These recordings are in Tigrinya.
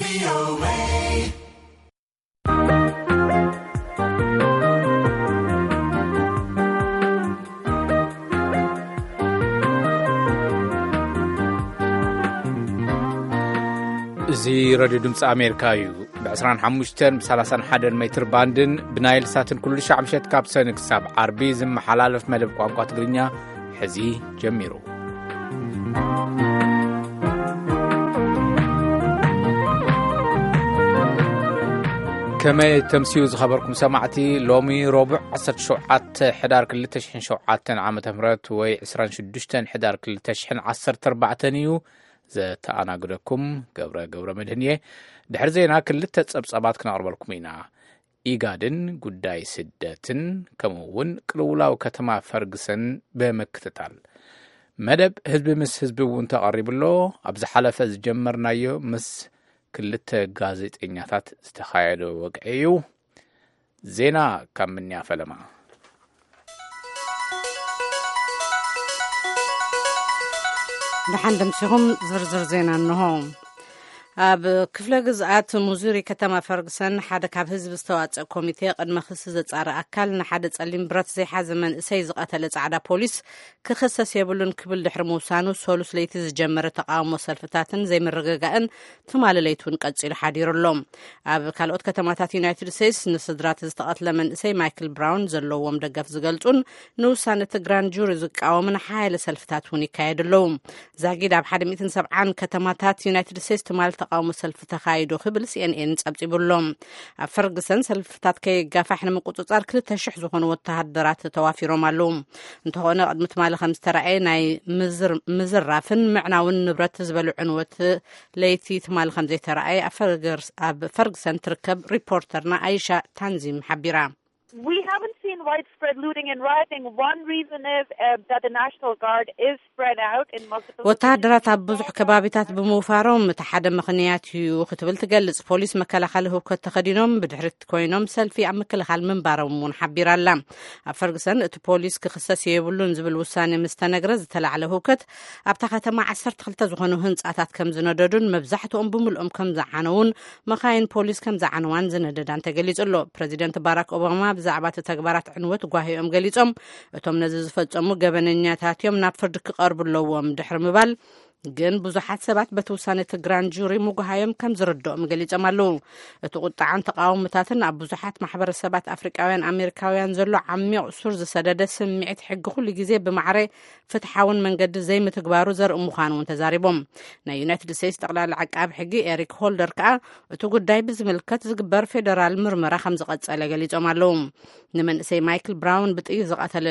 እዚ ሬድዮ ድምፂ ኣሜሪካ እዩ። ብ ዕስራን ሓሙሽተን ብ ሰላሳን ሓደን ሜትር ባንድን ብናይል ሳትን ኩሉ ሻዕ ምሸት ካብ ሰኒ ክሳብ ዓርቢ ዝመሓላለፍ መደብ ቋንቋ ትግርኛ ሕዚ ጀሚሩ። ከመይ ተምስዩ ዝኸበርኩም ሰማዕቲ? ሎሚ ረቡዕ ዓሰርተ ሸውዓተ ሕዳር ክልተ ሽሕን ሸውዓተን ዓመተ ምህረት ወይ ዕስራን ሽዱሽተን ሕዳር ክልተ ሽሕን ዓሰርተ ኣርባዕተን እዩ። ዘተኣናግደኩም ገብረ ገብረ መድህን እየ። ድሕሪ ዜና ክልተ ጸብጻባት ክነቕርበልኩም ኢና። ኢጋድን ጉዳይ ስደትን ከምኡ እውን ቅልውላው ከተማ ፈርግሰን ብምክትታል። መደብ ህዝቢ ምስ ህዝቢ እውን ተቐሪቡ ኣሎ። ኣብ ዝሓለፈ ዝጀመርናዮ ምስ ክልተ ጋዜጠኛታት ዝተኻየደ ወግዒ እዩ። ዜና ካብ ምንያ ፈለማ። ደሓን ደምሲኹም ዝርዝር ዜና እንሆ። ኣብ ክፍለ ግዝኣት ሙዙሪ ከተማ ፈርግሰን ሓደ ካብ ህዝቢ ዝተዋጸእ ኮሚቴ ቅድመ ክሲ ዘጻሪ ኣካል ንሓደ ጸሊም ብረት ዘይሓዘ መንእሰይ ዝቐተለ ጻዕዳ ፖሊስ ክኽሰስ የብሉን ክብል ድሕሪ ምውሳኑ፣ ሰሉስ ለይቲ ዝጀመረ ተቃውሞ ሰልፍታትን ዘይምርግጋእን ትማሊ ለይቲ እውን ቀጺሉ ሓዲሩ ኣሎ። ኣብ ካልኦት ከተማታት ዩናይትድ ስቴትስ ንስድራ እቲ ዝተቐትለ መንእሰይ ማይክል ብራውን ዘለዎም ደገፍ ዝገልጹን ንውሳነ እቲ ግራንድ ጁሪ ዝቃወምን ሓያለ ሰልፍታት እውን ይካየዱ ኣለዉ። ዛጊድ ኣብ ሓደ ሚእትን ሰብዓን ከተማታት ዩናይትድ ስቴትስ ትማሊ ተቃውሞ ሰልፊ ተኻይዱ ክብል ሲኤንኤን ጸብጺቡ ኣሎ። ኣብ ፈርግሰን ሰልፍታት ከየጋፋሕ ንምቁጽጻር ክልተ ሽሕ ዝኾኑ ወተሃደራት ተዋፊሮም ኣለዉ። እንተኾነ ቅድሚ ትማሊ ከም ዝተራእየ ናይ ምዝር-፣ ምዝራፍን ምዕናውን ንብረት ዝበሉ ዕንወት ለይቲ ትማሊ ከም ዘይተራእየ ኣብ ፈርገርስ-፣ ኣብ ፈርግሰን ትርከብ ሪፖርተርና ኣይሻ ታንዚም ሓቢራ። We haven't seen widespread looting and rioting. One reason is, uh, that the National Guard is spread out in multiple ወተሃደራት ኣብ ብዙሕ ከባቢታት ብምውፋሮም እቲ ሓደ ምኽንያት እዩ ክትብል ትገልጽ። ፖሊስ መከላኸሊ ህውከት ተኸዲኖም ብድሕሪት ኮይኖም ሰልፊ ኣብ ምክልኻል ምንባሮም እውን ሓቢራ ኣላ። ኣብ ፈርግሰን እቲ ፖሊስ ክኽሰስ የብሉን ዝብል ውሳኔ ምስ ተነግረ ዝተላዕለ ህውከት ኣብታ ከተማ ዓሰርተ ክልተ ዝኾኑ ህንጻታት ከም ዝነደዱን መብዛሕትኦም ብምልኦም ከም ዝዓነውን መኻይን ፖሊስ ከም ዝዓነዋን ዝነደዳን ተገሊጹ ኣሎ። ፕረዚደንት ባራክ ኦባማ ብዛዕባ እቲ ተግባራት ዕንወት ጓሂኦም ገሊጾም፣ እቶም ነዚ ዝፈጸሙ ገበነኛታት እዮም፣ ናብ ፍርዲ ክቐርቡ ኣለዎም ድሕሪ ምባል፣ ግን ብዙሓት ሰባት በቲ ውሳነ እቲ ግራንድ ጁሪ ምጉሃዮም ከም ዝርድኦም ገሊጾም ኣለዉ። እቲ ቁጥዓን ተቃውሞታትን ኣብ ብዙሓት ማሕበረሰባት ኣፍሪቃውያን ኣሜሪካውያን ዘሎ ዓሚቕ ሱር ዝሰደደ ስምዒት ሕጊ ኩሉ ግዜ ብማዕረ ፍትሓውን መንገዲ ዘይምትግባሩ ዘርኢ ምዃኑ እውን ተዛሪቦም። ናይ ዩናይትድ ስቴትስ ጠቕላላ ዓቃቢ ሕጊ ኤሪክ ሆልደር ከኣ እቲ ጉዳይ ብዝምልከት ዝግበር ፌደራል ምርመራ ከም ዝቐጸለ ገሊጾም ኣለዉ። ንመንእሰይ ማይክል ብራውን ብጥይት ዝቐተለ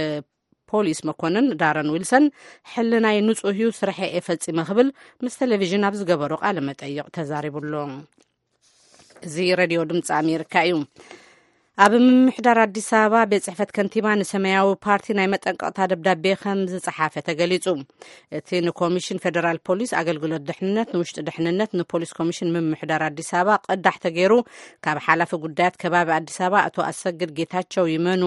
ፖሊስ መኮንን ዳረን ዊልሰን ሕልናይ ንጹህ እዩ፣ ስርሐ እየ ፈጺመ ክብል ምስ ቴሌቪዥን ኣብ ዝገበሮ ቃለ መጠይቕ ተዛሪቡ ኣሎ። እዚ ሬድዮ ድምፂ ኣሜሪካ እዩ። ኣብ ምምሕዳር ኣዲስ ኣበባ ቤት ጽሕፈት ከንቲባ ንሰማያዊ ፓርቲ ናይ መጠንቀቕታ ደብዳቤ ከም ዝጸሓፈ ተገሊጹ። እቲ ንኮሚሽን ፌደራል ፖሊስ፣ ኣገልግሎት ድሕንነት፣ ንውሽጢ ድሕንነት፣ ንፖሊስ ኮሚሽን ምምሕዳር ኣዲስ ኣበባ ቅዳሕ ተገይሩ ካብ ሓላፊ ጉዳያት ከባቢ ኣዲስ ኣበባ ኣቶ ኣሰግድ ጌታቸው ይመኑ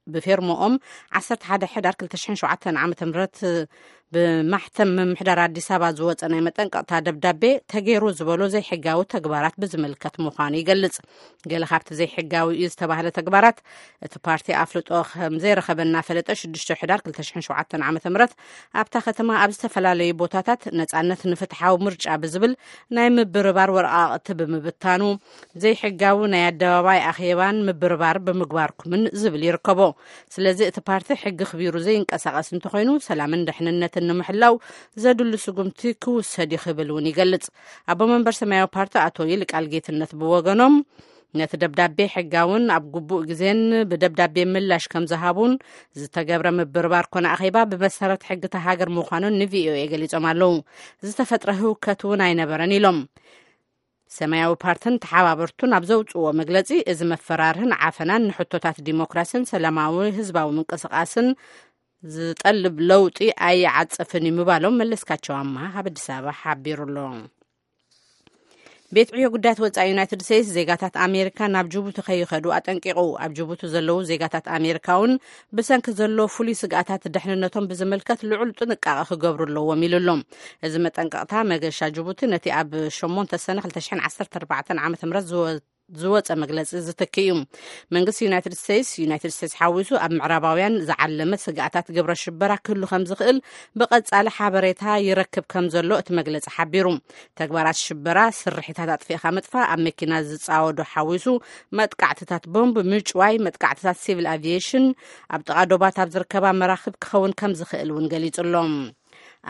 ብፌርሞኦም ዓሰርተ ሓደ ሕዳር ክልተ ሽሕን ሸውዓተን ዓመተ ምህረት ብማሕተም ምምሕዳር ኣዲስ ኣበባ ዝወጸ ናይ መጠንቀቕታ ደብዳቤ ተገይሩ ዝበሎ ዘይሕጋዊ ተግባራት ብዝምልከት ምዃኑ ይገልጽ። ገለ ካብቲ ዘይሕጋዊ እዩ ዝተባህለ ተግባራት፣ እቲ ፓርቲ ኣፍልጦ ከም ዘይረኸበ እናፈለጠ ሽዱሽተ ሕዳር ክልተ ሽሕን ሸውዓተን ዓመተ ምህረት ኣብታ ከተማ ኣብ ዝተፈላለዩ ቦታታት ነጻነት ንፍትሓዊ ምርጫ ብዝብል ናይ ምብርባር ወረቓቕቲ ብምብታኑ፣ ዘይሕጋዊ ናይ ኣደባባይ ኣኼባን ምብርባር ብምግባርኩምን ዝብል ይርከቦ። ስለዚ እቲ ፓርቲ ሕጊ ክቢሩ ዘይንቀሳቐስ እንተኾይኑ፣ ሰላምን ድሕንነትን ንምሕላው ዘድሉ ስጉምቲ ክውሰድ እዩ ክብል እውን ይገልጽ። ኣቦ መንበር ሰማያዊ ፓርቲ ኣቶ ይልቃል ጌትነት ብወገኖም፣ ነቲ ደብዳቤ ሕጋውን ኣብ ግቡእ ግዜን ብደብዳቤ ምላሽ ከም ዝሃቡን፣ ዝተገብረ ምብርባር ኮነ ኣኼባ ብመሰረት ሕጊ እታ ሃገር ምዃኑን ንቪኦኤ ገሊጾም ኣለዉ። ዝተፈጥረ ህውከት እውን ኣይነበረን ኢሎም። ሰማያዊ ፓርትን ተሓባበርቱን ኣብ ዘውጽእዎ መግለጺ፣ እዚ መፈራርህን ዓፈናን ንሕቶታት ዲሞክራስን ሰላማዊ ህዝባዊ ምንቅስቓስን ዝጠልብ ለውጢ ኣይዓጽፍን እዩ ምባሎም መለስካቸው ኣማሃ ካብ ኣዲስ ኣበባ ሓቢሩ ኣሎ። ቤት ዕዮ ጉዳያት ወጻኢ ዩናይትድ ስቴትስ ዜጋታት ኣሜሪካ ናብ ጅቡቲ ከይኸዱ ኣጠንቂቑ። ኣብ ጅቡቲ ዘለዉ ዜጋታት ኣሜሪካ እውን ብሰንኪ ዘሎ ፍሉይ ስግኣታት ደሕንነቶም ብዝምልከት ልዑል ጥንቃቐ ክገብሩ ኣለዎም ኢሉ ኣሎ። እዚ መጠንቀቕታ መገሻ ጅቡቲ ነቲ ኣብ ሸሞንተ ሰነ ክልተ ሽሕን ዓሰርተ ኣርባዕተን ዓመተ ምህረት ዝወ- ዝወጸ መግለጺ ዝትክእ እዩ። መንግስቲ ዩናይትድ ስቴትስ፣ ዩናይትድ ስቴትስ ሓዊሱ ኣብ ምዕራባውያን ዝዓለመ ስግኣታት ግብረ ሽበራ ክህሉ ከም ዝኽእል ብቐጻሊ ሓበሬታ ይረክብ ከም ዘሎ እቲ መግለጺ ሓቢሩ። ተግባራት ሽበራ፣ ስርሒታት ኣጥፊእኻ ምጥፋእ፣ ኣብ መኪና ዝጻወዱ ሓዊሱ መጥቃዕትታት ቦምብ፣ ምጭዋይ፣ መጥቃዕትታት ሲቪል ኣቪዬሽን፣ ኣብ ጥቓ ዶባት ኣብ ዝርከባ መራኽብ ክኸውን ከም ዝኽእል እውን ገሊጹ ኣሎ።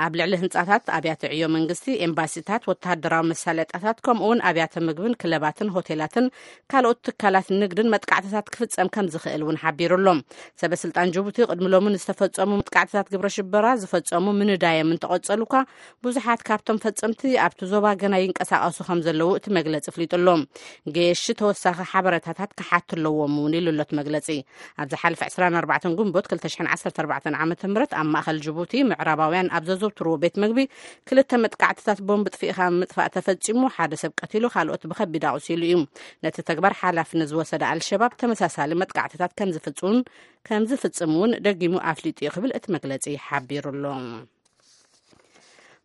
ኣብ ልዕሊ ህንጻታት፣ ኣብያተ ዕዮ መንግስቲ፣ ኤምባሲታት፣ ወተሃደራዊ መሳለጥያታት፣ ከምኡ እውን ኣብያተ ምግብን ክለባትን ሆቴላትን ካልኦት ትካላት ንግድን መጥቃዕትታት ክፍጸም ከም ዝኽእል እውን ሓቢሩ ኣሎ። ሰበ ስልጣን ጅቡቲ ቅድሚ ሎሚ ንዝተፈጸሙ መጥቃዕትታት ግብረ ሽበራ ዝፈጸሙ ምንዳዮም እንተቐጸሉ እኳ፣ ብዙሓት ካብቶም ፈጸምቲ ኣብቲ ዞባ ገና ይንቀሳቐሱ ከም ዘለዉ እቲ መግለጺ ኣፍሊጡ ኣሎ። ገየሺ ተወሳኺ ሓበሬታታት ክሓቱ ኣለዎም እውን ኢሉ ኣሎ እቲ መግለጺ። ኣብ ዝሓለፈ ዕስራን ኣርባዕተን ግንቦት ክልተ ሽሕን ዓሰርተ ኣርባዕተን ዓመተ ምህረት ኣብ ማእከል ጅቡቲ ምዕራባውያን ኣብ ዘዘውትርዎ ቤት መግቢ ክልተ መጥቃዕትታት ቦምብ ጥፊእኻ ምጥፋእ ተፈጺሙ፣ ሓደ ሰብ ቀቲሉ፣ ካልኦት ብኸቢድ ኣቑሲሉ እዩ። ነቲ ተግባር ሓላፍነት ዝወሰደ ኣልሸባብ ተመሳሳሊ መጥቃዕትታት ከም ዝፍጽሙን ከም ዝፍጽም እውን ደጊሙ ኣፍሊጡ እዩ ክብል እቲ መግለጺ ሓቢሩ ኣሎ።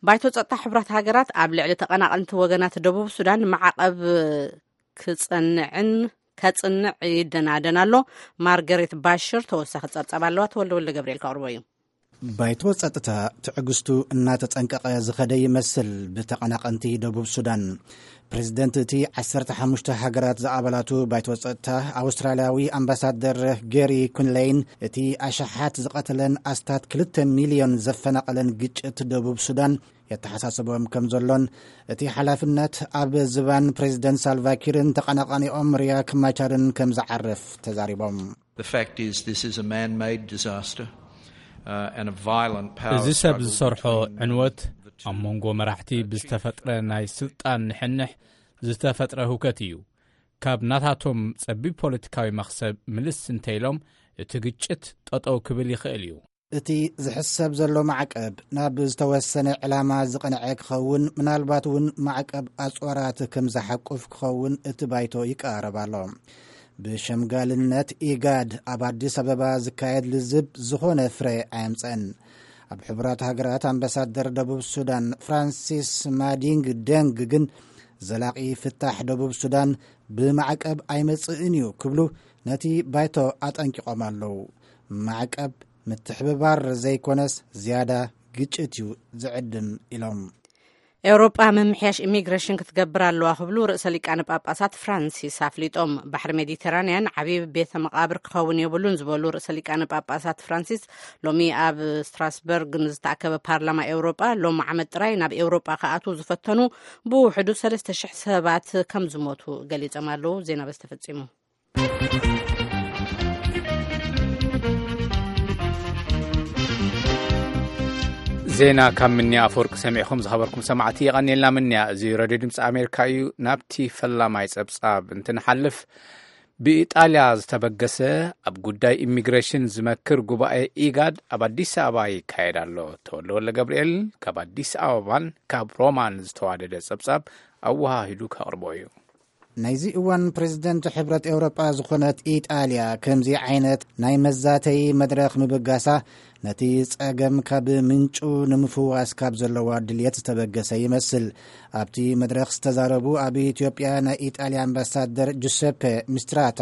ባይቶ ጸጥታ ሕቡራት ሃገራት ኣብ ልዕሊ ተቐናቐንቲ ወገናት ደቡብ ሱዳን ማዕቐብ ክጸንዕን ከጽንዕ ይደናደን ኣሎ። ማርገሬት ባሽር ተወሳኺ ጸብጻብ ኣለዋ። ተወልደ ወልደ ገብርኤል ከቕርቦ እዩ። ባይቶ ጸጥታ ትዕግስቱ እናተጸንቀቐ ዝኸደ ይመስል። ብተቐናቐንቲ ደቡብ ሱዳን፣ ፕሬዚደንት እቲ ዓሰርተ ሓሙሽተ ሃገራት ዝኣባላቱ ባይቶ ጸጥታ፣ ኣውስትራልያዊ ኣምባሳደር ጌሪ ኩንለይን፣ እቲ ኣሽሓት ዝቐተለን ኣስታት ክልተ ሚልዮን ዘፈናቐለን ግጭት ደቡብ ሱዳን የተሓሳስቦም ከም ዘሎን፣ እቲ ሓላፍነት ኣብ ዝባን ፕሬዚደንት ሳልቫኪርን ተቐናቃኒኦም ሪያክ ማቻርን ከም ዝዓርፍ ተዛሪቦም። The fact is, this is a man-made disaster, uh, and a violent power እዚ ሰብ struggle ዝሰርሖ between ዕንወት the two ኣብ መንጎ መራሕቲ ብዝተፈጥረ ናይ ስልጣን ንሕንሕ ዝተፈጥረ ህውከት እዩ። ካብ ናታቶም ጸቢብ ፖለቲካዊ መኽሰብ ምልስ እንተኢሎም፣ እቲ ግጭት ጠጠው ክብል ይኽእል እዩ። እቲ ዝሕሰብ ዘሎ ማዕቀብ ናብ ዝተወሰነ ዕላማ ዝቐንዐ ክኸውን፣ ምናልባት እውን ማዕቀብ ኣጽዋራት ከም ዝሓቁፍ ክኸውን እቲ ባይቶ ይቀራረብ ኣሎ። ብሸምጋልነት ኢጋድ ኣብ ኣዲስ ኣበባ ዝካየድ ልዝብ ዝኾነ ፍረ ኣየምጸን። ኣብ ሕቡራት ሃገራት ኣምባሳደር ደቡብ ሱዳን ፍራንሲስ ማዲንግ ደንግ ግን፣ ዘላቒ ፍታሕ ደቡብ ሱዳን ብማዕቀብ ኣይመጽእን እዩ ክብሉ ነቲ ባይቶ ኣጠንቂቖም ኣለዉ። ማዕቀብ ምትሕብባር ዘይኮነስ ዝያዳ ግጭት እዩ ዝዕድም ኢሎም። ኤውሮጳ ምምሕያሽ ኢሚግሬሽን ክትገብር ኣለዋ ክብሉ ርእሰ ሊቃነ ጳጳሳት ፍራንሲስ ኣፍሊጦም። ባሕሪ ሜዲተራንያን ዓብዪ ቤተ መቓብር ክኸውን የብሉን ዝበሉ ርእሰ ሊቃነ ጳጳሳት ፍራንሲስ፣ ሎሚ ኣብ ስትራስበርግ ንዝተኣከበ ፓርላማ ኤውሮጳ፣ ሎም ዓመት ጥራይ ናብ ኤውሮጳ ክኣትዉ ዝፈተኑ ብውሕዱ ሰለስተ ሽሕ ሰባት ከም ዝሞቱ ገሊጾም ኣለዉ። ዜና በዚ ተፈጺሙ። ዜና ካብ ምንያ ኣፈወርቂ ሰሚዕኹም ዝኸበርኩም ሰማዕቲ፣ የቐንየልና ምንያ። እዚ ሬድዮ ድምፂ ኣሜሪካ እዩ። ናብቲ ፈላማይ ጸብጻብ እንትንሓልፍ፣ ብኢጣልያ ዝተበገሰ ኣብ ጉዳይ ኢሚግሬሽን ዝመክር ጉባኤ ኢጋድ ኣብ ኣዲስ ኣበባ ይካየድ ኣሎ። ተወልደ ወልደ ገብርኤል ካብ ኣዲስ ኣበባን ካብ ሮማን ዝተዋደደ ጸብጻብ ኣወሃሂዱ ከቕርቦ እዩ። ናይዚ እዋን ፕሬዝደንት ሕብረት ኤውሮጳ ዝኾነት ኢጣልያ ከምዚ ዓይነት ናይ መዛተዪ መድረኽ ምብጋሳ፣ ነቲ ጸገም ካብ ምንጩ ንምፍዋስ ካብ ዘለዋ ድልየት ዝተበገሰ ይመስል። ኣብቲ መድረኽ ዝተዛረቡ ኣብ ኢትዮጵያ ናይ ኢጣልያ ኣምባሳደር ጁሰፔ ሚስትራታ፣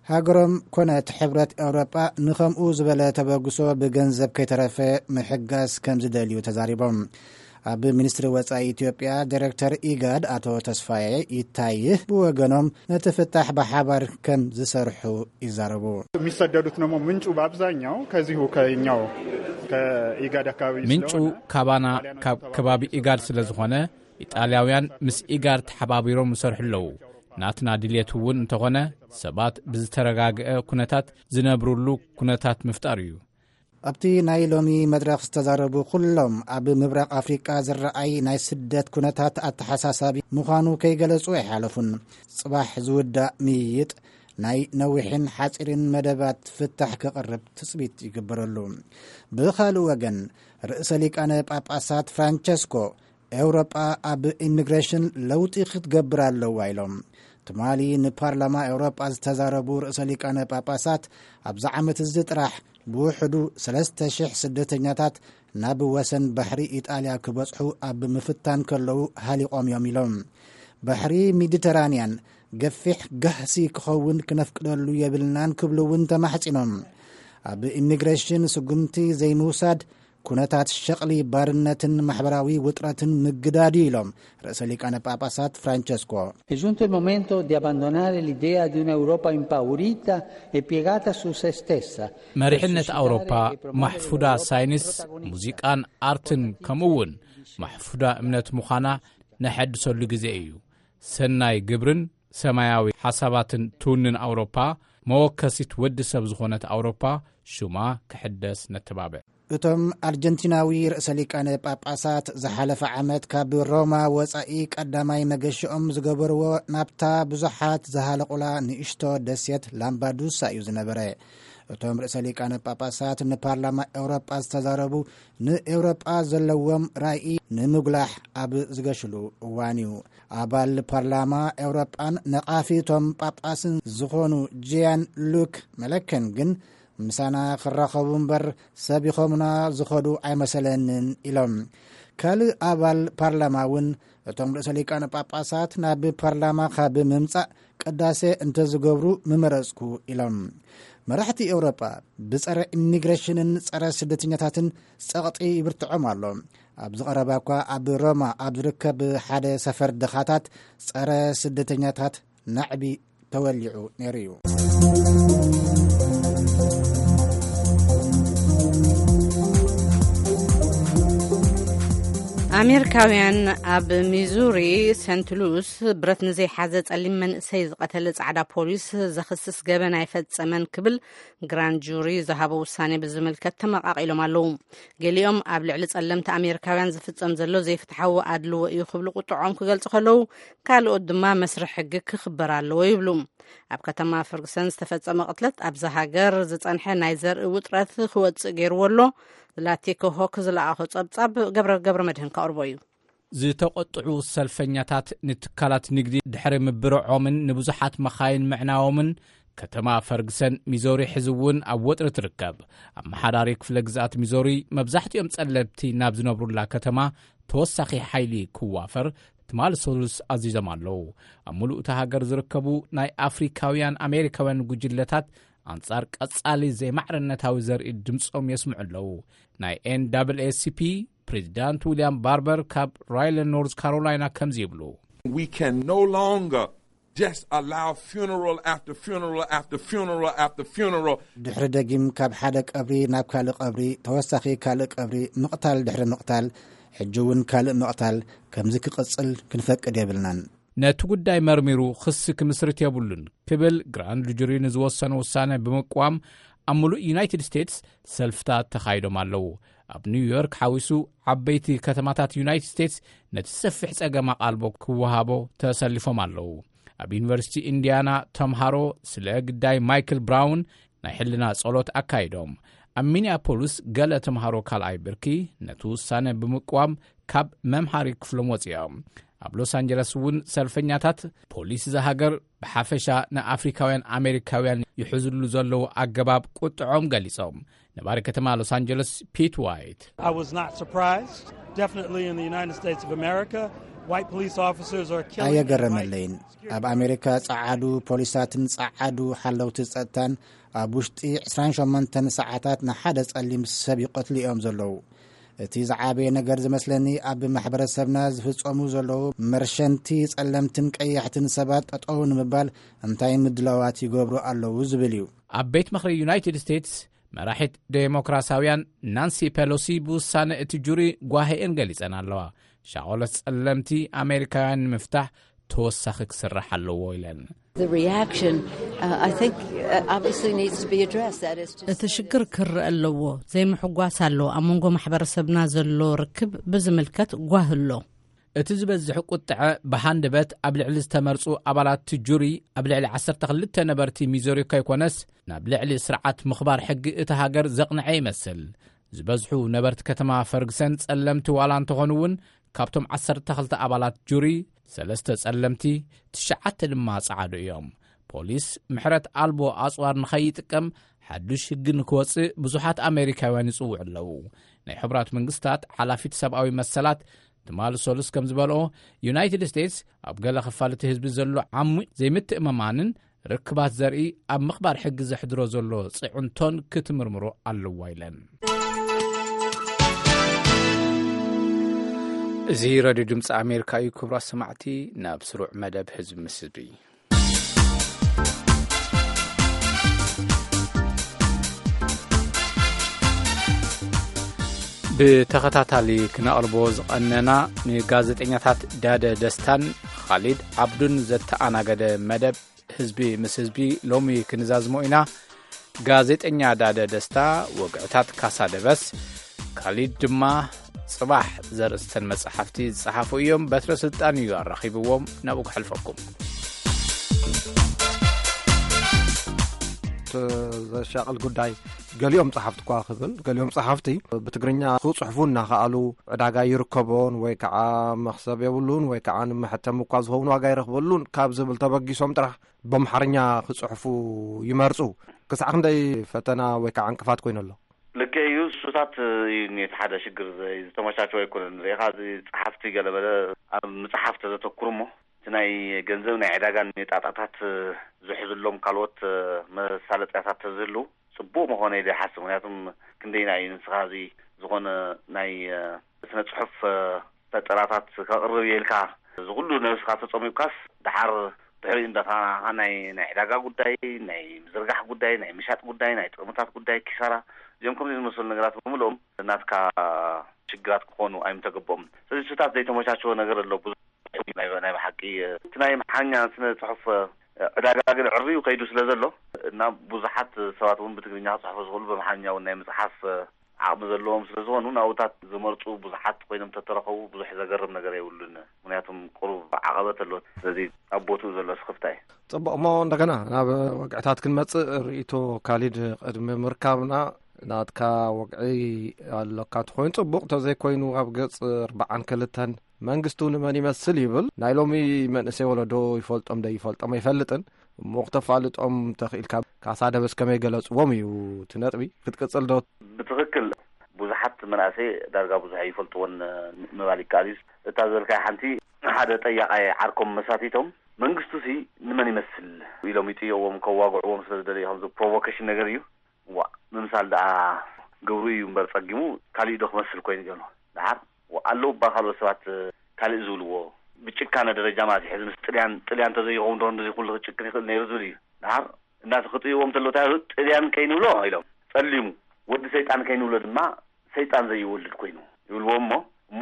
ሃገሮም ኮነት ሕብረት ኤውሮጳ ንኸምኡ ዝበለ ተበግሶ ብገንዘብ ከይተረፈ ምሕጋዝ ከም ዝደልዩ ተዛሪቦም። ኣብ ሚኒስትሪ ወጻኢ ኢትዮጵያ ዳይሬክተር ኢጋድ ኣቶ ተስፋዬ ይታይህ ብወገኖም፣ ነቲ ፍታሕ ብሓባር ከም ዝሰርሑ ይዛረቡ። የሚሰደዱት ደግሞ ምንጩ በአብዛኛው ከዚሁ ከኛው ከኢጋድ አካባቢ ምንጩ ስለሆነ፣ ካባና፣ ኢጣሊያውያን ካብ ከባቢ ኢጋድ ስለ ዝኾነ፣ ኢጣልያውያን ምስ ኢጋድ ተሓባቢሮም ይሰርሑ ኣለዉ። ናትና ድልየት እውን እንተኾነ፣ ሰባት ብዝተረጋግአ ኩነታት ዝነብሩሉ ኩነታት ምፍጣር እዩ። ኣብቲ ናይ ሎሚ መድረኽ ዝተዛረቡ ኩሎም፣ ኣብ ምብራቕ ኣፍሪቃ ዝረኣይ ናይ ስደት ኩነታት ኣተሓሳሳቢ ምዃኑ ከይገለጹ ኣይሓለፉን። ጽባሕ ዝውዳእ ምይይጥ፣ ናይ ነዊሕን ሓጺርን መደባት ፍታሕ ክቕርብ ትጽቢት ይግበረሉ። ብኻልእ ወገን፣ ርእሰ ሊቃነ ጳጳሳት ፍራንቸስኮ ኤውሮጳ ኣብ ኢሚግሬሽን ለውጢ ክትገብር ኣለዋ ኢሎም። ትማሊ ንፓርላማ ኤውሮጳ ዝተዛረቡ ርእሰ ሊቃነ ጳጳሳት፣ ኣብዚ ዓመት እዚ ጥራሕ ብውሕዱ ሰለስተ ሽሕ ስደተኛታት ናብ ወሰን ባሕሪ ኢጣልያ ክበጽሑ ኣብ ምፍታን ከለዉ ሃሊቖም እዮም ኢሎም። ባሕሪ ሜዲተራንያን ገፊሕ ጋህሲ ክኸውን ክነፍቅደሉ የብልናን ክብሉ እውን ተማሕጺኖም። ኣብ ኢሚግሬሽን ስጉምቲ ዘይምውሳድ ኩነታት ሸቕሊ፣ ባርነትን ማሕበራዊ ውጥረትን ምግዳድ እዩ ኢሎም ርእሰ ሊቃነ ጳጳሳት ፍራንቸስኮ። È giunto il momento di abbandonare l'idea di un'Europa impaurita e piegata su se stessa. መሪሕነት ኣውሮፓ ማሕፉዳ ሳይንስ፣ ሙዚቃን ኣርትን ከምኡ እውን ማሕፉዳ እምነት ምዃና ነሐድሰሉ ግዜ እዩ። ሰናይ ግብርን ሰማያዊ ሓሳባትን ትውንን ኣውሮፓ፣ መወከሲት ወዲ ሰብ ዝኾነት ኣውሮፓ ሽማ ክሕደስ ነተባብዕ። እቶም ኣርጀንቲናዊ ርእሰ ሊቃነ ጳጳሳት ዝሓለፈ ዓመት ካብ ሮማ ወጻኢ ቀዳማይ መገሽኦም ዝገበርዎ ናብታ ብዙሓት ዝሃለቑላ ንእሽቶ ደሴት ላምባዱሳ እዩ ዝነበረ። እቶም ርእሰ ሊቃነ ጳጳሳት ንፓርላማ ኤውሮጳ ዝተዛረቡ፣ ንኤውሮጳ ዘለዎም ራኢ ንምጉላሕ ኣብ ዝገሽሉ እዋን እዩ። ኣባል ፓርላማ ኤውሮጳን ነቓፊ እቶም ጳጳስን ዝኾኑ ጂያን ሉክ መለከን ግን፣ ምሳና ክራኸቡ እምበር ሰብ ይኾሙና ዝኸዱ ኣይመሰለንን ኢሎም። ካልእ ኣባል ፓርላማ እውን፣ እቶም ርእሰ ሊቃነ ጳጳሳት ናብ ፓርላማ ካብ ምምጻእ ቅዳሴ እንተዝገብሩ ምመረጽኩ ኢሎም። መራሕቲ ኤውሮጳ ብጸረ ኢሚግሬሽንን ጸረ ስደተኛታትን ጸቕጢ ይብርትዖም ኣሎ። ኣብዚ ቀረባ እኳ ኣብ ሮማ ኣብ ዝርከብ ሓደ ሰፈር ድኻታት ጸረ ስደተኛታት ናዕቢ ተወሊዑ ነይሩ እዩ። ኣሜሪካውያን ኣብ ሚዙሪ ሴንት ሉስ ብረት ንዘይሓዘ ጸሊም መንእሰይ ዝቐተለ ጻዕዳ ፖሊስ ዘኽስስ ገበን ኣይፈጸመን ክብል ግራንድ ጁሪ ዝሃቦ ውሳኔ ብዝምልከት ተመቓቒሎም ኣለዉ። ገሊኦም ኣብ ልዕሊ ጸለምቲ ኣሜሪካውያን ዝፍጸም ዘሎ ዘይፍትሓዊ ኣድልዎ እዩ ክብሉ ቁጥዖም ክገልጹ ከለዉ፣ ካልኦት ድማ መስርሕ ሕጊ ክኽበር ኣለዎ ይብሉ። ኣብ ከተማ ፈርግሰን ዝተፈጸመ ቅትለት ኣብዛ ሃገር ዝጸንሐ ናይ ዘርኢ ውጥረት ክወጽእ ገይርዎ ኣሎ። ዝላቲኮ ሆክ ዝለኣኾ ጸብጻብ ገብረ ገብረ መድህን ከቕርቦ እዩ። ዝተቆጥዑ ሰልፈኛታት ንትካላት ንግዲ ድሕሪ ምብርዖምን ንብዙሓት መኻይን ምዕናዎምን፣ ከተማ ፈርግሰን ሚዞሪ ሕዚ እውን ኣብ ወጥሪ ትርከብ። ኣመሓዳሪ ክፍለ ግዝኣት ሚዞሪ፣ መብዛሕትኦም ጸለምቲ ናብ ዝነብሩላ ከተማ ተወሳኺ ሓይሊ ክዋፈር ትማሊ ሰሉስ ኣዚዞም ኣለዉ። ኣብ ምሉእ እታ ሃገር ዝርከቡ ናይ ኣፍሪካውያን ኣሜሪካውያን ጉጅለታት ኣንጻር ቀጻሊ ዘይማዕርነታዊ ዘርኢ ድምጾም የስምዑ ኣለዉ። ናይ ኤን ዳብል ኤ ሲ ፒ ፕሬዚዳንት ዊልያም ባርበር ካብ ራይለን ኖርዝ ካሮላይና ከምዚ ይብሉ። We can no longer just allow funeral after funeral after funeral after funeral. ድሕሪ ደጊም ካብ ሓደ ቀብሪ ናብ ካልእ ቀብሪ፣ ተወሳኺ ካልእ ቀብሪ፣ ምቕታል ድሕሪ ምቕታል፣ ሕጂ እውን ካልእ ምቕታል ከምዚ ክቕጽል ክንፈቅድ የብልናን። ነቲ ጉዳይ መርሚሩ ክሲ ክምስርት የብሉን ክብል ግራንድ ጁሪ ንዝወሰነ ውሳነ ብምቅዋም ኣብ ምሉእ ዩናይትድ ስቴትስ ሰልፍታት ተኻይዶም ኣለዉ። ኣብ ኒውዮርክ ሓዊሱ ዓበይቲ ከተማታት ዩናይትድ ስቴትስ ነቲ ሰፊሕ ጸገም ኣቓልቦ ክወሃቦ ተሰሊፎም ኣለዉ። ኣብ ዩኒቨርሲቲ ኢንዲያና ተምሃሮ ስለ ግዳይ ማይክል ብራውን ናይ ሕልና ጸሎት ኣካይዶም። ኣብ ሚኒያፖሊስ ገለ ተምሃሮ ካልኣይ ብርኪ ነቲ ውሳነ ብምቅዋም ካብ መምሃሪ ክፍሎም ወጺኦም። ኣብ ሎስ ኣንጀለስ እውን ሰልፈኛታት ፖሊስ እዛ ሃገር ብሓፈሻ ንኣፍሪካውያን ኣሜሪካውያን ይሕዝሉ ዘለዉ ኣገባብ ቁጥዖም ገሊጾም። ነባሪ ከተማ ሎስ ኣንጀለስ ፒት ዋይት I was not surprised. Definitely in the United States of America, white police officers are killing. ኣየገረመለይን። ኣብ ኣሜሪካ ጸዓዱ ፖሊሳትን ጸዓዱ ሓለውቲ ጸጥታን ኣብ ውሽጢ ዕስራን ሸሞንተን ሰዓታት ንሓደ ጸሊም ሰብ ይቐትሉ እዮም ዘለዉ። እቲ ዝዓበየ ነገር ዝመስለኒ ኣብ ማሕበረሰብና ዝፍጸሙ ዘለዉ መርሸንቲ ጸለምትን ቀያሕትን ሰባት ጠጠው ንምባል እንታይ ምድላዋት ይገብሩ ኣለዉ ዝብል እዩ። ኣብ ቤት ምኽሪ ዩናይትድ ስቴትስ መራሒት ዴሞክራሲያውያን ናንሲ ፔሎሲ ብውሳነ እቲ ጁሪ ጓሄኤን ገሊጸን ኣለዋ። ሻቆለት ጸለምቲ ኣሜሪካውያን ንምፍታሕ ተወሳኺ ክስራሕ ኣለዎ ኢለን። The reaction, uh, I think, uh, obviously needs to be addressed. That is to እቲ ሽግር ክርእ ኣለዎ። ዘይምሕጓስ ኣሎ። ኣብ መንጎ ማሕበረሰብና ዘሎ ርክብ ብዝምልከት ጓህ ኣሎ። እቲ ዝበዝሕ ቁጥዐ ብሃንደበት ኣብ ልዕሊ ዝተመርጹ ኣባላት ጁሪ ኣብ ልዕሊ ዓሰርተ ክልተ ነበርቲ ሚዞሪ ከይኮነስ ናብ ልዕሊ ስርዓት ምኽባር ሕጊ እታ ሃገር ዘቕንዐ ይመስል። ዝበዝሑ ነበርቲ ከተማ ፈርግሰን ጸለምቲ ዋላ እንተኾኑ እውን ካብቶም ዓሰርተ ክልተ ኣባላት ጁሪ፣ ሰለስተ ጸለምቲ፣ ትሽዓተ ድማ ጸዓዱ እዮም። ፖሊስ ምሕረት ኣልቦ ኣጽዋር ንኸይጥቀም ሓዱሽ ህጊ ንክወጽእ ብዙሓት ኣሜሪካውያን ይጽውዑ ኣለዉ። ናይ ሕቡራት መንግስታት ሓላፊት ሰብኣዊ መሰላት ትማሊ ሰሉስ ከም ዝበልኦ፣ ዩናይትድ ስቴትስ ኣብ ገለ ክፋል እቲ ህዝቢ ዘሎ ዓሙቕ ዘይምትእምማንን ርክባት ዘርኢ ኣብ ምኽባር ሕጊ ዘሕድሮ ዘሎ ጽዕንቶን ክትምርምሮ ኣለዋ ኢለን። እዚ ሬድዮ ድምፂ ኣሜሪካ እዩ። ክቡራት ሰማዕቲ፣ ናብ ስሩዕ መደብ ህዝቢ ምስ ህዝቢ። ብተኸታታሊ ክነቕርቦ ዝቐነና፣ ንጋዜጠኛታት ዳደ ደስታን ኻሊድ ዓብዱን ዘተኣናገደ መደብ ህዝቢ ምስ ህዝቢ ሎሚ ክንዛዝሞ ኢና። ጋዜጠኛ ዳደ ደስታ ወግዕታት ካሳ ደበስ፣ ካሊድ ድማ ጽባሕ ዘርእስተን መጻሕፍቲ ዝጸሓፉ እዮም። በትረ ስልጣን እዩ ኣራኺብዎም፣ ናብኡ ክሕልፈኩም። እቲ ዘሻቕል ጉዳይ፣ ገሊኦም ጸሓፍቲ እኳ ክብል፣ ገሊኦም ጸሓፍቲ ብትግርኛ ክጽሕፉ እናኸኣሉ ዕዳጋ ይርከቦን ወይ ከዓ መኽሰብ የብሉን ወይ ከዓ ንመሐተሚ እኳ ዝኸውን ዋጋ ይረኽበሉን ካብ ዝብል ተበጊሶም ጥራሕ በምሓርኛ ክጽሕፉ ይመርጹ። ክሳዕ ክንደይ ፈተና ወይ ከዓ ዕንቅፋት ኮይኑ ኣሎ? ልክዕ እዩ። እሱታት እዩ እቲ ሓደ ሽግር፣ ዘይ-፣ ዝተመቻቸወ ኣይኮነን። ርኢኻ፣ እዚ ጸሓፍቲ ገለመለ ኣብ ምጽሓፍ ተዘተኩሩ እሞ፣ እቲ ናይ ገንዘብ ናይ ዕዳጋን ጣጣታት ዝሕዝሎም ካልኦት መሳለጥያታት ተዝህሉ ጽቡቕ ምኾነ ኢለ ይሓስብ። ምክንያቱም ክንደይና እዩ ንስኻ እዚ ዝኾነ ናይ ስነ ጽሑፍ ፈጠራታት ከቕርብ እየ ኢልካ፣ እዚ ኩሉ ነብስኻ ተጸሚምካስ፣ ደሓር ድሕሪኡ እንዳኻ ናይ፣ ናይ ዕዳጋ ጉዳይ፣ ናይ ምዝርጋሕ ጉዳይ፣ ናይ ምሻጥ ጉዳይ፣ ናይ ጥቕምታት ጉዳይ፣ ኪሳራ፣ እዚኦም ከምዚ ዝመሰሉ ነገራት ብምልኦም ናትካ ሽግራት ክኾኑ ኣይምተገበኦም። ስለዚ እሱታት ዘይተመቻቸወ ነገር ኣሎ። ብዙሕ ናይ፣ ናይ ብሓቂ እቲ ናይ ኣምሓርኛ ስነ ጽሑፍ ዕዳጋ ግን ዕርዩ ከይዱ ስለ ዘሎ፣ እና ብዙሓት ሰባት እውን ብትግርኛ ክጽሕፉ ዝኽእሉ፣ ብኣምሓርኛ እውን ናይ ምጽሓፍ ዓቕሚ ዘለዎም ስለ ዝኾኑ፣ ናብኡታት ዝመርጹ ብዙሓት ኮይኖም ተተረኸቡ፣ ብዙሕ ዘገርም ነገር የብሉን። ምኽንያቱም ቁሩብ ዓቐበት ኣሎ። ስለዚ ኣብ ቦትኡ ዘሎ ስኽፍታ እዩ። ጽቡቕ፣ እሞ እንደገና ናብ ወግዕታት ክንመጽእ፣ ርእይቶ ካሊድ ቅድሚ ምርካብና፣ ናትካ ወግዒ ኣሎካ እንተኾይኑ ጽቡቕ፣ እንተዘይኮይኑ ኣብ ገጽ ኣርባዓን ክልተን መንግስቱ ንመን ይመስል ይብል። ናይ ሎሚ መንእሰይ ወለዶ ይፈልጦም ዶ ይፈልጦም ኣይፈልጥን። እሞ ክተፋልጦም ተኽኢልካ፣ ካሳ ደበስ ከመይ ገለጽዎም እዩ እቲ ነጥቢ። ክትቅጽል ዶ? ብትኽክል፣ ብዙሓት መናእሰይ ዳርጋ ብዙሕ ኣይፈልጥዎን ምባል ይከኣል እዩ። እታ ዝበልካያ ሓንቲ፣ ሓደ ጠያቓይ ዓርኮም መሳቲቶም፣ "መንግስቱሲ ንመን ይመስል?" ኢሎም ይጥየዎም፣ ከዋግዕዎም ስለ ዝደለዩ፣ ከምዚ ፕሮቮኬሽን ነገር እዩ። ዋእ፣ ምምሳል ደኣ ግብሩ እዩ እምበር ጸጊሙ፣ ካሊእ ዶ ክመስል ኮይኑ ገሉ። ደሓር፣ ዋእ፣ ኣለዉ እባ ካልኦት ሰባት ካሊእ ዝብልዎ፣ ብጭካነ ደረጃ ማለት እዩ። ሕዚ ምስ ጥልያን፣ ጥልያን እንተዘይኸውን ዶ እንደዚ ኩሉ ክጭክን ይኽእል ነይሩ ዝብል እዩ። ደሓር፣ እናተ ክጥይዎም እንተለዉ እንታይ ይብሉ? ጥልያን ከይንብሎ ኢሎም፣ ጸሊሙ፣ ወዲ ሰይጣን ከይንብሎ ድማ፣ ሰይጣን ዘይወልድ ኮይኑ ይብልዎ እሞ፣ እሞ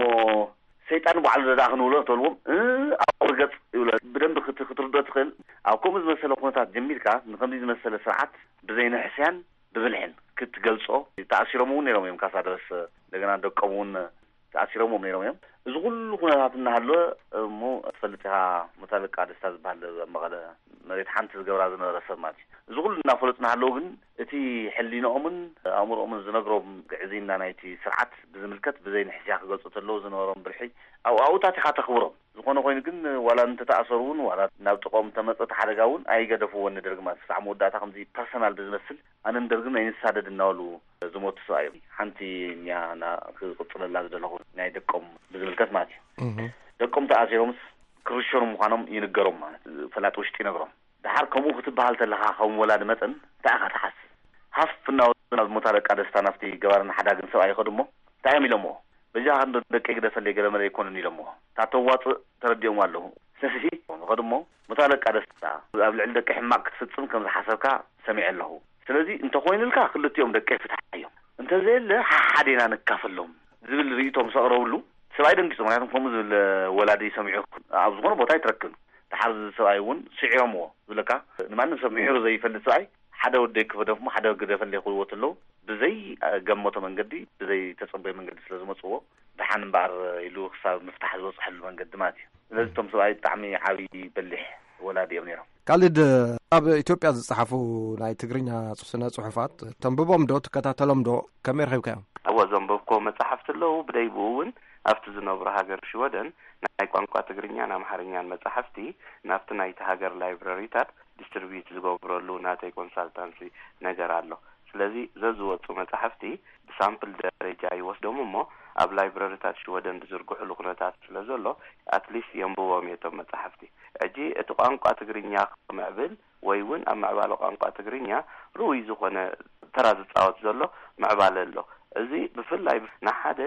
ሰይጣን ባዕሉ ደኣ ክንብሎ ተልዎም፣ እ፣ ኣብ ቁሪ ገጽ ይብሎ። ብደንቢ ክት-፣ ክትርዶ ትኽእል። ኣብ ከምኡ ዝመሰለ ኩነታት ጀሚርካ፣ ንኸምዚ ዝመሰለ ስርዓት ብዘይንሕስያን ብብልሕን ክትገልጾ፣ ተኣሲሮም እውን ነይሮም እዮም። ካሳ ደበስ እንደገና ደቆም እውን ተኣሲሮምዎም ነይሮም እዮም። እዚ ኩሉ ኩነታት እናሃለወ እሞ፣ ትፈልጥ ኢኻ፣ ሙታለቃ ደስታ ዝበሃል ኣብ መቐለ መሬት ሓንቲ ዝገብራ ዝነበረ ሰብ ማለት እዩ። እዚ ኩሉ እናፈለጡ እናሃለዉ ግን፣ እቲ ሕሊንኦምን ኣእምሮኦምን ዝነግሮም ግዕዝይና ናይቲ ስርዓት ብዝምልከት ብዘይ ንሕስያ ክገልጹ ተለዉ ዝነበሮም ብልሒ፣ ኣብኡ ኣብኡታት ኢኻ ተኽብሮም። ዝኾነ ኮይኑ ግን፣ ዋላ እንተተኣሰሩ እውን፣ ዋላ ናብ ጥቕኦም እንተመጸ እቲ ሓደጋ እውን፣ ኣይገደፍዎን ንደርጊ ማለት እዩ። ክሳዕ መወዳእታ ከምዚ ፐርሰናል ብዝመስል ኣነን ደርግን ኣይንሳደድ እናበሉ ዝሞቱ ሰብኣይ እዮም። ሓንቲ እኒኣ ና ክቕጽለላ ዝደለኹ ናይ ደቆም ብዝምልከት ማለት እዩ። እህ። ደቆም ተኣሲሮምስ ክርሸኑ ምዃኖም ይንገሮም ማለት ፈላጥ ውሽጢ ይነግሮም። ደሓር ከምኡ ክትበሃል ተለኻ ከም ወላዲ መጠን እንታይ ኢኻ ትሓስብ? ሃፍ እናበሉ ናብ ሞት ኣለቃ ደስታ ናብቲ ገባርን ሓዳግን ሰብኣይ ይኸዱ እሞ እንታይ እዮም ኢሎምዎ? በጃኻ እንዶ ደቀይ ግደፈለይ ገለ መለ ኣይኮኑን ኢሎምዎ። እታ ተዋፅእ ተረዲኦምዎ ኣለዉ። ስለዚ ይኸዱ እሞ ሞት ኣለቃ ደስታ ኣብ ልዕሊ ደቀይ ሕማቕ ክትፍጽም ከም ዝሓሰብካ ሰሚዐ ኣለኹ። ስለዚ እንተኾይኑልካ ክልቲኦም ደቀይ ፍትሓዮም። እንተዘየለ ሓሓዴና ንካፈሎም ዝብል ርእይቶ ምስ ኣቕረብሉ ሰብኣይ ደንጊጹ። ምኽንያቱም ከምኡ ዝብል ወላዲ ሰሚዑ ኣብ ዝኾነ ቦታ ኣይትረክብን። ደሓር እዚ ሰብኣይ እውን ስዒሮምዎ ዝብለካ ንማንም ሰብ ምሒሩ ዘይፈልጥ ሰብኣይ ሓደ ወደይ ክፈደፍሞ ሓደ ግደፈለይ ክብልዎ ተለዉ ብዘይ ገመቶ መንገዲ ብዘይ ተጸበዮ መንገዲ ስለ ዝመጽዎ ደሓን እምበኣር ኢሉ ክሳብ ምፍታሕ ዝበጽሐሉ መንገዲ ማለት እዩ። ስለዚ እቶም ሰብኣይ ብጣዕሚ ዓብዪ በሊሕ ወላዲ እዮም ነይሮም። ካልድ ኣብ ኢትዮጵያ ዝጸሓፉ ናይ ትግርኛ ስነ ጽሑፋት ተንብቦም ዶ ትከታተሎም ዶ ከመይ ረኺብካዮም? እወ ዘንበብኮ መጻሕፍቲ ኣለዉ ብደይብኡ እውን ኣብቲ ዝነብሩ ሃገር ሽወደን ናይ ቋንቋ ትግርኛን ኣምሓርኛን መጻሕፍቲ ናብቲ ናይቲ ሃገር ላይብረሪታት ዲስትሪቢዩት ዝገብረሉ ናተይ ኮንሳልታንሲ ነገር ኣሎ። ስለዚ ዘዝወጹ መጻሕፍቲ ብሳምፕል ደረጃ ይወስዶም እሞ ኣብ ላይብረሪታት ሽወደን ዝዝርግሑሉ ኩነታት ስለ ዘሎ ኣትሊስት የንብቦም እየ እቶም መጻሕፍቲ። ሕጂ እቲ ቋንቋ ትግርኛ ክምዕብል ወይ እውን ኣብ ምዕባለ ቋንቋ ትግርኛ ርኡይ ዝኾነ ተራ ዝጻወት ዘሎ ምዕባለ ኣሎ። እዚ ብፍላይ ንሓደ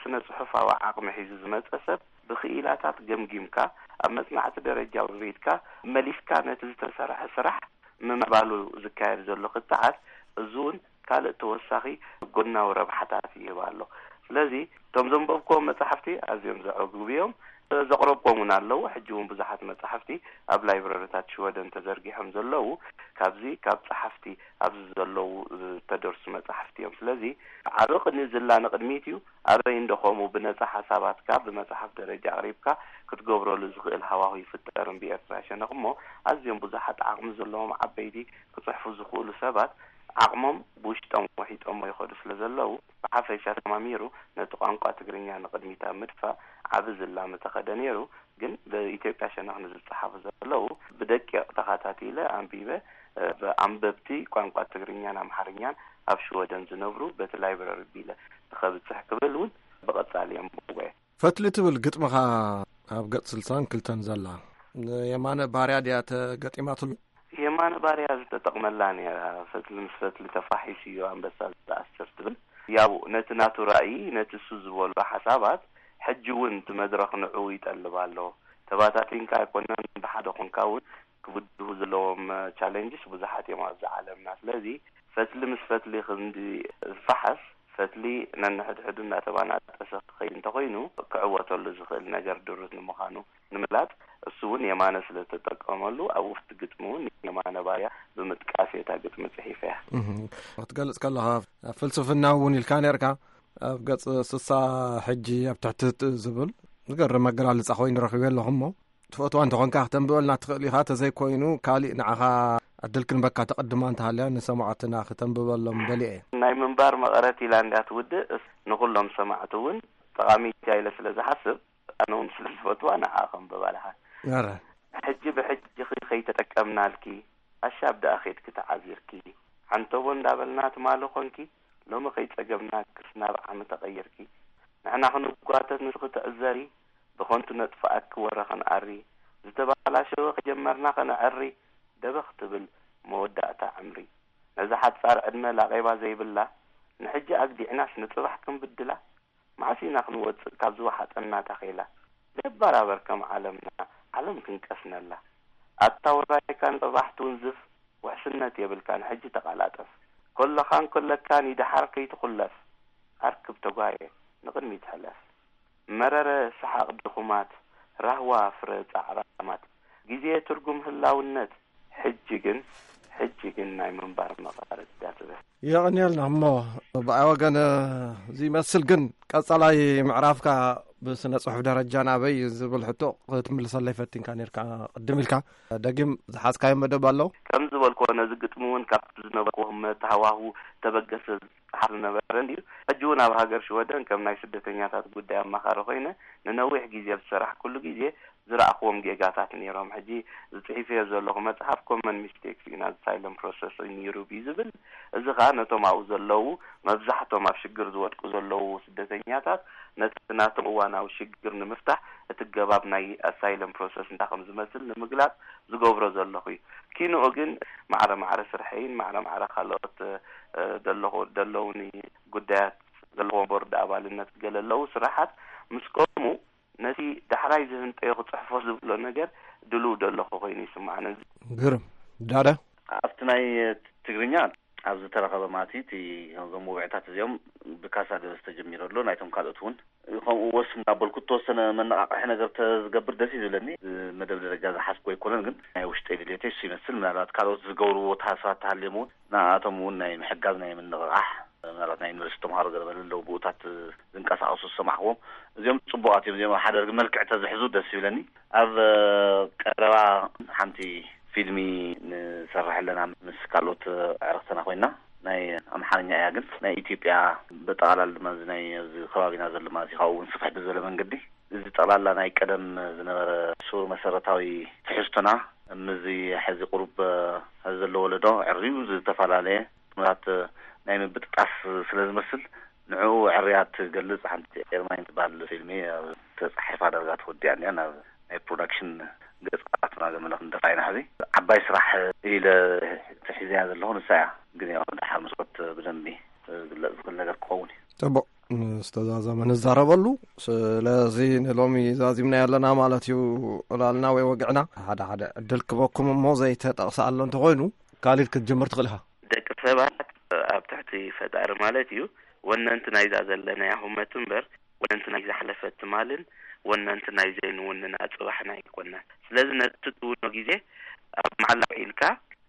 ስነ ጽሑፋዊ ዓቕሚ ሒዙ ዝመጸ ሰብ ብኽኢላታት ገምጊምካ ኣብ መጽናዕቲ ደረጃ ውሪድካ መሊስካ ነቲ ዝተሰርሐ ስራሕ ምምዕባሉ ዝካየድ ዘሎ ክትዓት እዚ እውን ካልእ ተወሳኺ ጎናዊ ረብሓታት ይህብ ኣሎ። ስለዚ እቶም ዘንበብክዎም መጻሕፍቲ ኣዝዮም ዘዕግቡ እዮም። ዘቕረብኩም እውን ኣለዉ። ሕጂ እውን ብዙሓት መጻሕፍቲ ኣብ ላይብረሪታት ሽወደን ተዘርጊሖም ዘለዉ ካብዚ ካብ ጸሓፍቲ ኣብዚ ዘለዉ ዝተደርሱ መጻሕፍቲ እዮም። ስለዚ ዓቢ ቅድሚ ዝላ ንቕድሚት እዩ። ኣበይ እንዶ ከምኡ ብነጻ ሓሳባትካ ብመጽሓፍ ደረጃ ኣቕሪብካ ክትገብረሉ ዝኽእል ሃዋሁ ይፍጠር። እምቢ ኤርትራ ሸነኽ እሞ ኣዝዮም ብዙሓት ዓቕሚ ዘለዎም ዓበይቲ ክጽሕፉ ዝኽእሉ ሰባት ዓቕሞም ብውሽጦም ወሒጦሞ ይኸዱ ስለ ዘለዉ ብሓፈሻ ተማሚሩ ነቲ ቋንቋ ትግርኛ ንቕድሚት ኣብ ምድፋእ ዓቢ ዝላ ምተኸደ ነይሩ። ግን ብኢትዮጵያ ሸነኽ ንዝጸሓፉ ዘለዉ ብደቂቕ ተኸታቲለ ኣንቢበ፣ እ፣ ብኣንበብቲ ቋንቋ ትግርኛን ኣምሓርኛን ኣብ ሽወደን ዝነብሩ በቲ ላይብረሪ ቢለ ንኸብጽሕ ክብል እውን ብቐጻሊ የንብቦ እየ። ፈትሊ ትብል ግጥምኻ ኣብ ገጽ ስልሳን ክልተን ዘላ የማነ ባርያ ድያ ተገጢማትሉ? የማነ ባርያ ዝተጠቕመላ ነይራ። ፈትሊ ምስ ፈትሊ ተፋሒሱ እዩ ኣንበሳ ዝኣስር ትብል። ያው ነቲ ናቱ ራእይ፣ ነቲ እሱ ዝበሎ ሓሳባት ሕጂ እውን እቲ መድረኽ ንዕኡ ይጠልብ ኣሎ። ተባታቲንካ ኣይኮነን፣ ብሓደ ኮንካ እውን ክብድሁ ዘለዎም ቻሌንጅስ ብዙሓት እዮም ኣብዚ ዓለምና። ስለዚ ፈትሊ ምስ ፈትሊ ክንዲ ዝፈሓስ፣ ፈትሊ ነንሕድሕዱ እናተባናጠሰ ክኸይድ እንተኾይኑ ክዕወተሉ ዝኽእል ነገር ድሩት ንምዃኑ ንምግላጽ፣ እሱ እውን የማነ ስለ ዝተጠቀመሉ ኣብ ውሽጢ ግጥሚ እውን የማነ ባርያ ብምጥቃስ እየ እታ ግጥሚ ጽሒፈያ። እህ፣ ክትገልጽ ከለኻ ፍልስፍና እውን ኢልካ ነርካ። ኣብ ገጽ ስሳ ሕጂ ኣብ ትሕቲ ዝብል ዝገርም ኣገላልጻ ኮይኑ ረኺበ ኣለኹ እሞ ትፈትዋ እንተኾንካ ክተንብበልና ትኽእል ኢኻ፣ ተዘይኮይኑ ካሊእ ንዓኻ ዕድል ክንበካ ተቐድማ እንተሃልያ ንሰማዕትና ክተንብበሎም ደልየ እየ። ናይ ምንባር መቐረት ኢላ እንዳ ትውድእ እስ-፣ ንኹሎም ሰማዕቲ እውን ጠቓሚት እያ ኢለ ስለ ዝሓስብ ኣነ እውን ስለ ዝፈትዋ ንዓ ከንብባ ኣለኻ። ኣረ። ሕጂ ብሕጂ ከይተጠቀምናልኪ ኣሻብ ደኣ ኸይድኪ ተዓዚርኪ፣ ዓንተቦ እንዳበልና ትማሊ ኾንኪ ሎሚ ከይጸገብናክስ ናብ ዓሚ ተቐይርኪ። ንሕና ክንጓተት ንስኺ ትዕዘሪ፣ ብኸንቱ ነጥፍኣኪ ወረ ክንኣሪ፣ ዝተባላሸወ ከጀመርና ከነዐሪ፣ ደበኽ ትብል መወዳእታ ዕምሪ። ነዛ ሓጻር ዕድመ ላቄባ ዘይብላ፣ ንሕጂ ኣግዲዕናስ ንጽባሕ ክንብድላ፣ መዓስ ኢና ክንወጽእ ካብ ዝወሓጠና ታኼላ? ደባራበር ከም ዓለምና፣ ዓለም ክንቀስነላ። ኣታ ውራይካ ንጽባሕ ትውንዝፍ፣ ውሕስነት የብልካን ሕጂ ተቓላጠፍ። ኮለኻን ኮለካን ይድሓር ከይትኹለፍ፣ ኣርክብ ተጓየ ንቕድሚት ሕለፍ። መረረ ሰሓቕ ድኹማት፣ ራህዋ ፍረ ጻዕራማት፣ ግዜ ትርጉም ህላውነት፣ ሕጂ ግን፣ ሕጂ ግን ናይ ምንባር መቐረት እያ ትብል። የቐንየልና እሞ ብኣይ ወገን እዚ ይመስል፣ ግን ቀጻላይ ምዕራፍካ ብስነ ጽሑፍ ደረጃ ናበይ ዝብል ሕቶ ክትምልሰለይ ፈቲንካ ነርካ ቅድም ኢልካ። ደጊም ዝሓዝካዮ መደብ ኣሎ? ከም ዝበልክዎ ነዚ ግጥሚ እውን ካብቲ ዝነበርክዎ ህመት ሃዋሁ ተበገሰ ዝጸሓፍ ዝነበረ እንድዩ። ሕጂ እውን ኣብ ሃገር ሽወደን ከም ናይ ስደተኛታት ጉዳይ ኣማኻሪ ኮይነ ንነዊሕ ግዜ ኣብ ዝሰራሕኩሉ ግዜ ዝረኣኽዎም ጌጋታት ነይሮም። ሕጂ ዝጽሒፈዮ ዘለኹ መጽሓፍ ኮመን ሚስቴክስ ኢን ኣሳይለም ፕሮሰስ ኢን ዩሮፕ እዩ ዝብል። እዚ ኸኣ ነቶም ኣብኡ ዘለዉ መብዛሕቶም ኣብ ሽግር ዝወድቁ ዘለዉ ስደተኛታት ነቲ ናቶም እዋናዊ ሽግር ንምፍታሕ እቲ ገባብ ናይ ኣሳይለም ፕሮሰስ እንታይ ከም ዝመስል ንምግላጽ ዝገብሮ ዘለኹ እዩ። ኪንኡ ግን ማዕረ ማዕረ ስርሐይን ማዕረ ማዕረ ካልኦት፣ እ፣ ደለኹ-፣ ደለውኒ ጉዳያት ዘለዎም ቦርድ ኣባልነት ገለ ኣለዉ ስራሓት ምስ ቆሙ ነቲ ዳሕራይ ዝህንጠዮ ክጽሕፎ ዝብሎ ነገር ድልው ደለኹ ኮይኑ ይስምዓኒ። ግርም። ዳዳ? ኣብቲ ናይ ትግርኛ ኣብ ዝተረኸበ ማለት እዩ፣ እቲ እዞም ውግዕታት እዚኦም ብካሳ ገበስ ተጀሚሩ ኣሎ። ናይቶም ካልኦት እውን ከምኡ ወስ እናበልኩ እተወሰነ መነቓቕሒ ነገር ተዝገብር ደስ እዩ ዝብለኒ። ብመደብ ደረጃ ዝሓዝኩ ኣይኮነን፣ ግን ናይ ውሽጠይ ድሌተይ እሱ ይመስል። ምናልባት ካልኦት ዝገብርዎ ተሃስባት ተሃልዮም እውን ንኣቶም እውን ናይ ምሕጋዝ ናይ ምንቕቓሕ፣ ምናልባት ናይ ዩኒቨርሲቲ ተምሃሮ ገለ በለ ኣለዉ ብኡታት ዝንቀሳቐሱ ዝሰማዕክዎም፣ እዚኦም ጽቡቓት እዮም። እዚኦም ኣብ ሓደ ርግብ መልክዕ ተዝሕዙ ደስ ይብለኒ። ኣብ ቀረባ ሓንቲ ፊልሚ ንሰርሕ ኣለና ምስ ካልኦት ኣዕርኽትና ኮይና፣ ናይ ኣምሓርኛ እያ፣ ግን ናይ ኢትዮጵያ ብጠቓላላ ድማ እዚ ናይ ኣብዚ ከባቢና ዘሎ ማለት እዩ። ካብኡ እውን ስፍሕ ብዝበለ መንገዲ እዚ ጠቕላላ ናይ ቀደም ዝነበረ ሱር መሰረታዊ ትሕዝቶና፣ ምስዚ ሕዚ ቁሩብ ሕዚ ዘሎ ወለዶ ዕርዩ ዝተፈላለየ ኩነታት ናይ ምብጥጣስ ስለ ዝመስል፣ ንዕኡ ዕርያ ትገልጽ ሓንቲ ኤርማይን ትበሃል ፊልሚ ኣብ ተጻሒፋ ዳርጋ ተወዲኣ እኒኣ። ናብ ናይ ፕሮዳክሽን ገጻትና ገመለ ክንደፋ ኢና። ሕዚ ዓባይ ስራሕ ኢለ ተሒዘያ ዘለኹ ንሳ እያ። ግን ያው ድሓር ምስ ወት ብደንቢ ክግለጽ ዝኽእል ነገር ክኸውን እዩ። ጽቡቕ፣ ምስ ተዛዘመ ንዛረበሉ። ስለዚ ንሎሚ ዛዚምና ያለና ማለት እዩ። ዕላልና ወይ ወግዕና ሓደ ሓደ ዕድል ክበኩም እሞ ዘይተጠቕሰ ኣሎ እንተኾይኑ፣ ካሊድ ክትጅምር ትኽእል ኢኻ። ደቂ ሰባት ኣብ ትሕቲ ፈጣሪ ማለት እዩ፣ ወነንቲ ናይዛ ዘለናያ ሁመት እምበር፣ ወነንቲ ናይ ዝሓለፈት ትማልን ወነንቲ ናይ ዘይንውንና ጽባሕና ኣይኮናን። ስለዚ ነቲ ትውኖ ግዜ ኣብ መዓላ ውዒልካ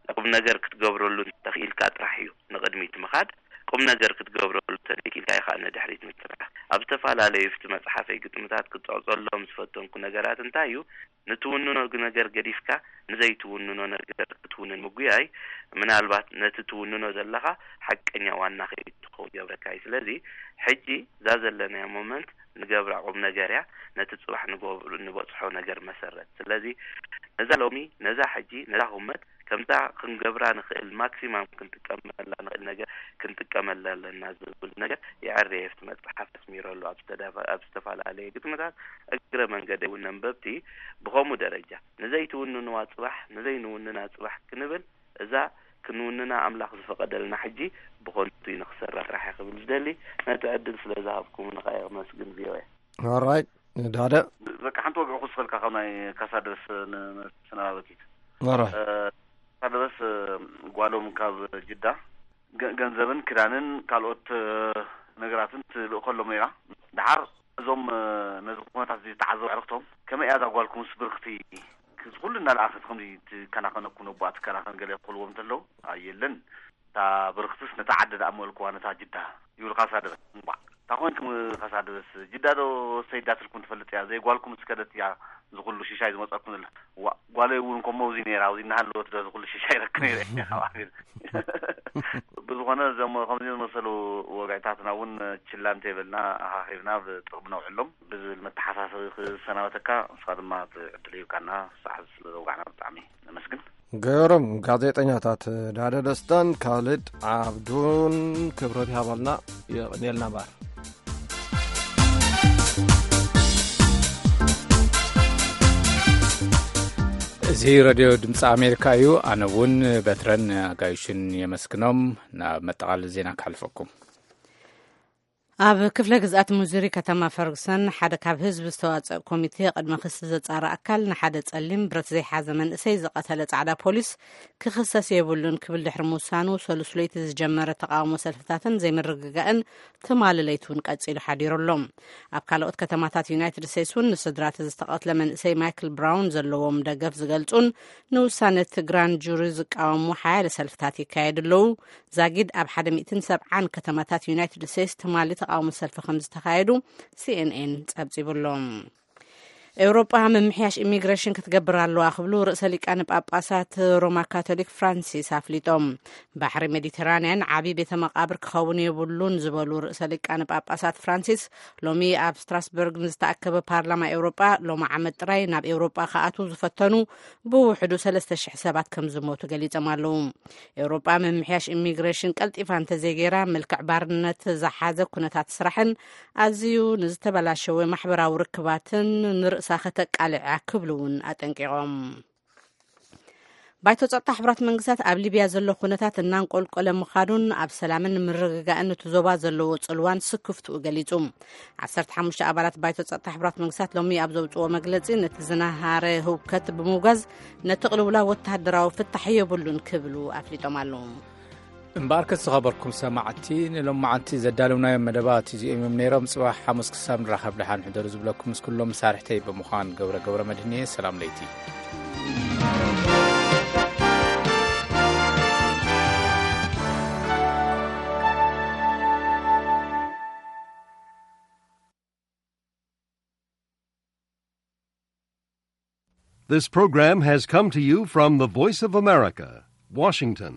ቁም ነገር ክትገብረሉ እንተኽኢልካ ጥራሕ እዩ ንቕድሚት ምኻድ። ቁም ነገር ክትገብረሉ እንተዘይክኢልካ ኢኻ ንድሕሪት ምትራፍ። ኣብ ዝተፈላለዩ ፍቲ መጽሓፈይ ግጥምታት ክጸቕጸሎም ዝፈተንኩ ነገራት እንታይ እዩ? ንትውንኖ ነገር ገዲፍካ ንዘይትውንኖ ነገር ክትውንን ምጉያይ፣ ምናልባት ነቲ ትውንኖ ዘለኻ ሓቀኛ ዋና ከይትኸውን ይገብረካ እዩ። ስለዚ ሕጂ እዛ ዘለናያ ሞመንት ንገብራ ቁም ነገር እያ፣ ነቲ ጽባሕ ንገብሩ-፣ ንበጽሖ ነገር መሰረት። ስለዚ ነዛ ሎሚ፣ ነዛ ሕጂ፣ ነዛ ሁመት ከምዛ ክንገብራ ንኽእል፣ ማክሲማም ክንጥቀመላ ንኽእል ነገር ክንጥቀመላ ኣለና ዝብል ነገር የዐርየ ኣብቲ መጽሓፍ ኣስሚረሉ። ኣብ ዝተዳፈ-፣ ኣብ ዝተፈላለየ ግጥምታት እግረ መንገዲ እውን ነንበብቲ ብኸምኡ ደረጃ ንዘይትውንንዋ ጽባሕ፣ ንዘይንውንና ጽባሕ ክንብል፣ እዛ ክንውንና ኣምላኽ ዝፈቐደልና ሕጂ ብኸንቱ እዩ ንኽሰራ ስራሕ እየ ክብል ዝደሊ። ነቲ ዕድል ስለ ዝሃብኩምኒ ከኣ የመስግን ቪኦኤ። ኦራይት፣ ዳደ። በቃ ሓንቲ ወግዒ ክውስኸልካ ካብ ናይ ካሳደስ ን-፣ ንሰናባበኪት። ኦራይት። እ፣ ካሳደስ፣ እ፣ ጓሎም ካብ ጅዳ ገ-፣ ገንዘብን ክዳንን ካልኦት፣ እ፣ ነገራትን ትልእኸሎም ነይራ። ደሓር እዞም፣ እ፣ ነዚ ኩነታት እዚ ዝተዓዘቡ ኣዕርኽቶም፣ "ከመይ እያ እዛ ጓልኩምስ ብርኽቲ? ኩሉ እናለኣኸት ከምዚ ትከናኸነኩም ነቦኣ ትከናኸን?" ገለ ክብልዎም እንተለዉ፣ "ኣይ የለን፣ እታ ብርኽትስ ነታ ዓዲ ደኣ መልክዋ፣ ነታ ጅዳ" ይብሉ ካሳደበስ። እምቧዕ፣ "እንታይ ኮንኩም ካሳደበስ? ጅዳ ዶ ሰይዳትልኩም ትፈልጥ እያ? ዘይጓልኩም ስከደት እያ እዚ ኩሉ ሽሻይ ዝመጸኩም ዘላ?" "ዋ፣ ጓለይ እውን እኮ እሞ ኣብዚ ነይራ፣ ኣብዚ እናሃለወት ዶ እዚ ኩሉ ሽሻይ ረክ ነይረ?" ብዝኾነ፣ እዞም ከምዚ ዝመሰሉ ወግዕታትና እውን ችላ እንተይበልና፣ ኣኻኺብና ብጥቕሚ ነውዕሎም ብዝብል መተሓሳሰቢ ክሰናበተካ፣ ንስኻ ድማ እቲ ዕድል ሂብካና፣ ሰዓት ስለ ዘውጋዕና ብጣዕሚ ነመስግን። ገይሮም ጋዜጠኛታት ዳደ ደስታን ካልድ ዓብዱን ክብረት ይሃበልና። የቐንየልና እምበኣር። እዚ ሬድዮ ድምፂ ኣሜሪካ እዩ። ኣነ እውን በትረን ኣጋይሽን የመስግኖም። ናብ መጠቓለሊ ዜና ክሓልፈኩም። ኣብ ክፍለ ግዝኣት ሙዙሪ ከተማ ፈርጉሰን ሓደ ካብ ህዝቢ ዝተዋፀእ ኮሚቴ ቅድሚ ክሲ ዘፃሪ ኣካል ንሓደ ፀሊም ብረት ዘይሓዘ መንእሰይ ዝቐተለ ፃዕዳ ፖሊስ ክኽሰስ የብሉን ክብል ድሕሪ ምውሳኑ፣ ሰሉስ ለይቲ ዝጀመረ ተቓውሞ ሰልፍታትን ዘይምርግጋእን ትማሊ ለይቲ እውን ቀፂሉ ሓዲሩ ኣሎ። ኣብ ካልኦት ከተማታት ዩናይትድ ስቴትስ እውን ንስድራ እቲ ዝተቐትለ መንእሰይ ማይክል ብራውን ዘለዎም ደገፍ ዝገልፁን ንውሳነ እቲ ግራንድ ጁሪ ዝቃወሙ ሓያለ ሰልፍታት ይካየዱ ኣለዉ። ዛጊድ ኣብ ሓደ ሚእትን ሰብዓን ከተማታት ዩናይትድ ስቴትስ ትማሊ ተቓውሞ ሰልፊ ከም ዝተኻየዱ ሲኤንኤን ጸብጺቡ ኣሎ። ኤውሮጳ ምምሕያሽ ኢሚግሬሽን ክትገብር ኣለዋ ክብሉ ርእሰ ሊቃነ ጳጳሳት ሮማ ካቶሊክ ፍራንሲስ ኣፍሊጦም። ባሕሪ ሜዲተራንያን ዓቢ ቤተ መቓብር ክኸውን የብሉን ዝበሉ ርእሰ ሊቃነ ጳጳሳት ፍራንሲስ፣ ሎሚ ኣብ ስትራስበርግ ንዝተኣከበ ፓርላማ ኤውሮጳ፣ ሎሚ ዓመት ጥራይ ናብ ኤውሮጳ ክኣትዉ ዝፈተኑ ብውሕዱ ሰለስተ ሽሕ ሰባት ከም ዝሞቱ ገሊጾም ኣለዉ። ኤውሮጳ ምምሕያሽ ኢሚግሬሽን ቀልጢፋ እንተዘይገይራ፣ መልክዕ ባርነት ዝሓዘ ኩነታት ስራሕን ኣዝዩ ንዝተበላሸወ ማሕበራዊ ርክባትን ንርእሳ ከተቃልዕ እያ ክብሉ እውን ኣጠንቂቖም። ባይቶ ጸጥታ ሕቡራት መንግስታት ኣብ ሊብያ ዘሎ ኩነታት እናንቆልቆለ ምኻዱን ኣብ ሰላምን ምርግጋእን እቲ ዞባ ዘለዎ ጽልዋን ስክፍትኡ ገሊጹ። ዓሰርተ ሓሙሽተ ኣባላት ባይቶ ጸጥታ ሕቡራት መንግስታት ሎሚ ኣብ ዘውጽዎ መግለጺ፣ ነቲ ዝነሃረ ህውከት ብምውጋዝ ነቲ ቅልውላው ወተሃደራዊ ፍታሕ የብሉን ክብሉ ኣፍሊጦም ኣለዉ። እምበኣርከስ ዝኸበርኩም ሰማዕቲ፣ ንሎማዓንቲ ዘዳለውናዮም መደባት እዚኦም እዮም ነይሮም። ጽባሕ ሓሙስ ክሳብ ንራኸብ ደሓን ሕደሩ ዝብለኩም ምስ ኩሎም መሳርሕተይ ብምዃን ገብረ ገብረ መድህን እየ። ሰላም ለይቲ። This program has come to you from the Voice of America, Washington.